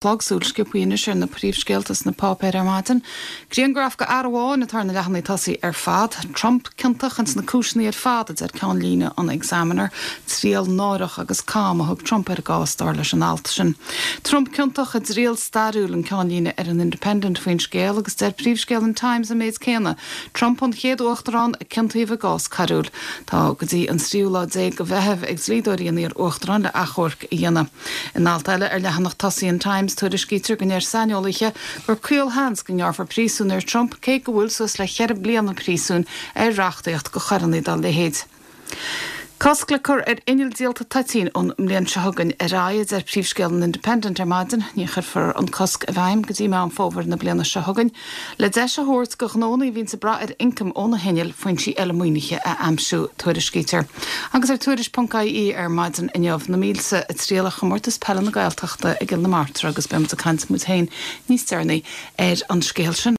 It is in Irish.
Chlog, súil sciobtha anois ar na príomhscéalta sna páipéir ar maidin. Grianghraf de fhear amháin atá ar na leathanaigh tosaigh ar fad. Trump ciontach ins na cúiseanna ar fad, a deir ceannlíne an Examiner. Triail náireach agus cam a thug Trump ar an gcás, dar leis an alt sin. Trump ciontach i dtriail stairiúil an ceannlíne ar an Independent faoin scéal agus deir príomhscéal an Times an méid céanna, Trump an chéad uachtarán a ciontaíodh i gcás coiriúil. Tá go dtí an tríú lá déag de Mheitheamh ag dlíodóirí an iar-uachtaráin le achomharc a dhéanamh. In alt eile ar leathanach tosaigh an Times, tuairiscítear go ndeir saineolaithe gur caolsheans go ngearrfar príosún ar Trump cé go bhfuil suas le cheithre bliana príosúin ar reachtaíocht do choireanna dá leithéid. Cosc le cur ar innill díolta toitín ón mbliain seo chugainn ar aghaidh, a deir príomhscéal an Independent ar maidin. Ní chuirfear an cosc i bhfeidhm go dtí Meán Fómhair na bliana seo chugainn. Le deis a thabhairt do ghnónna a bhíonns ag brath ar ioncam ó na hinnill foinsí eile maoinithe a aimsiú, tuairiscítear. Agus ar Tuairisc.ie ar maidin inniu, na mílte ag triall ar Chomórtas Peile na Gaeltachta i gCill na Martra agus beidh muid ag caint muid féin níos deireanaí ar an scéal sin.